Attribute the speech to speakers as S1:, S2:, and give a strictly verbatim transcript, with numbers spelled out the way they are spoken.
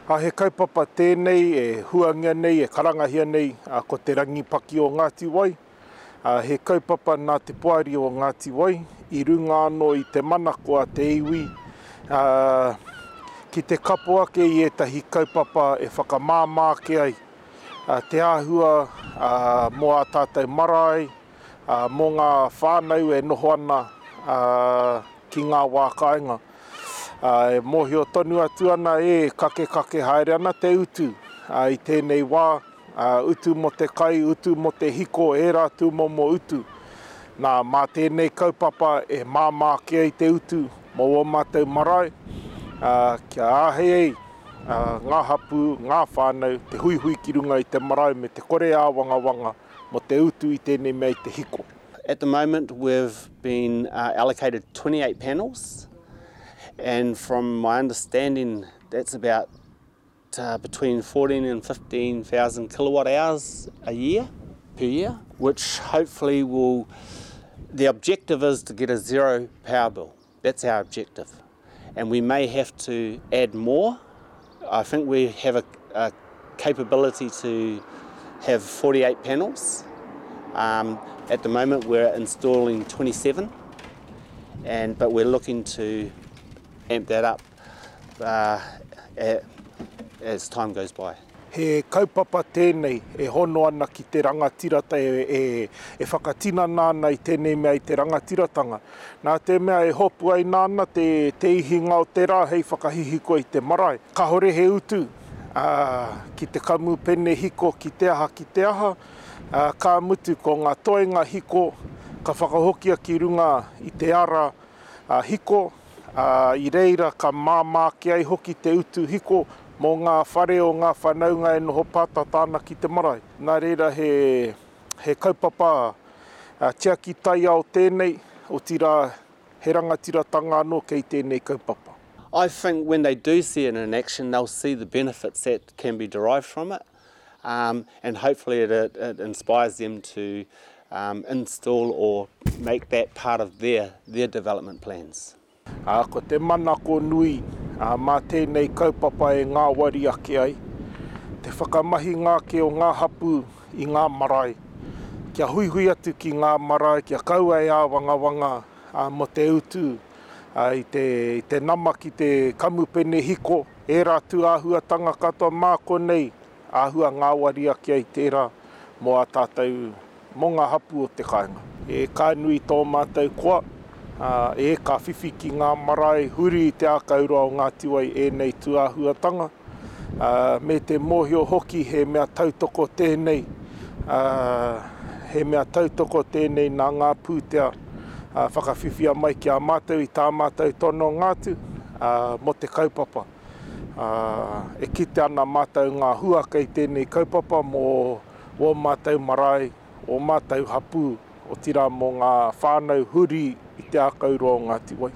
S1: A he kaupapa tēnei e huangia nei, e karangahia nei, a, ko te Rangipaki o Ngāti Wai. A, he kaupapa nā te poari o Ngāti Wai, i runga anō i te manako a te iwi, a, ki te kapo ake i ētahi kaupapa e whakamāmā ake ai a, te āhua a, mō ā tātou marae, a, mō ngā whānau e noho ana a, ki ngā wā kāinga. A, e mōhio tonu atu ana e kakekake haere ana te utu a, i tēnei wā, a, utu mō te kai, utu mō te hiko, ērā tūmomo utu. Nā, mā tēnei kaupapa e māmā ake ai te utu mō ō mātou marae, a, kia āhei ai a, ngā hapū, ngā whānau, te huihui ki runga i te marae me te kore āwangawanga mō te utu i tēnei mea i te hiko.
S2: At the moment, we've been uh, allocated twenty-eight panels, and from my understanding, that's about uh, between fourteen and fifteen thousand kilowatt hours a year, per year, which hopefully will, the objective is to get a zero power bill. That's our objective. And we may have to add more. I think we have a, a capability to have forty-eight panels. Um, at the moment we're installing twenty-seven, and but we're looking to amp that up uh, at, as time goes by.
S1: He kaupapa tēnei e hono ana ki te rangatirata e, e, e whakatinana ana i tēnei mea i te rangatiratanga. Nā te mea e hopu ai nāna te, te ihinga o te rā hei whakahihiko i te marae. Kahore he utu ā, ki te kamupene hiko, ki te aha, ki te aha. Ā, ka mutu ko ngā toenga hiko ka whakahokia ki runga i te ara ā, hiko. Ā, i reira ka māmā ake ai hoki te utu hiko mō ngā whare o ngā whanaunga e noho pātata ana ki te marae. Nā reira he, he kaupapa a, tiaki taiao tēnei, otirā he rangatiratanga anō kei tēnei kaupapa.
S2: I think when they do see it in action, they'll see the benefits that can be derived from it, um, and hopefully it, it, it inspires them to um, install or make that part of their, their development plans.
S1: Ā, ko te manako nui ā, mā tēnei kaupapa e ngāwari ake ai, te whakamahinga ake o ngā hapū i ngā marae, kia huihui atu ki ngā marae, kia kaua e āwangawanga ā, mō te utu ā, i te, i te nama ki te kamupene hiko, ērā tūāhuatanga katoa mā konei āhua ngāwari ake ai tērā mō ā tātou, mō ngā hapū o te kāinga. E ka nui tō mātou koa, ā, e ka whiwhi ki ngā marae huri i te ākauroa o Ngāti Wai ēnei tūāhuatanga, ā, me te mōhio hoki he mea tautoko tēnei, ā, he mea tautoko tēnei nā ngā pūtea ā, whakawhiwhia mai ki a mātou i tā mātou tononga atu ā, mō te kaupapa. Ā, e kite ana mātou ngā hua kei tēnei kaupapa mō ō mātou marae, ō mātou hapū, otirā mō ngā whānau huri i te ākauroa o Ngāti Wai.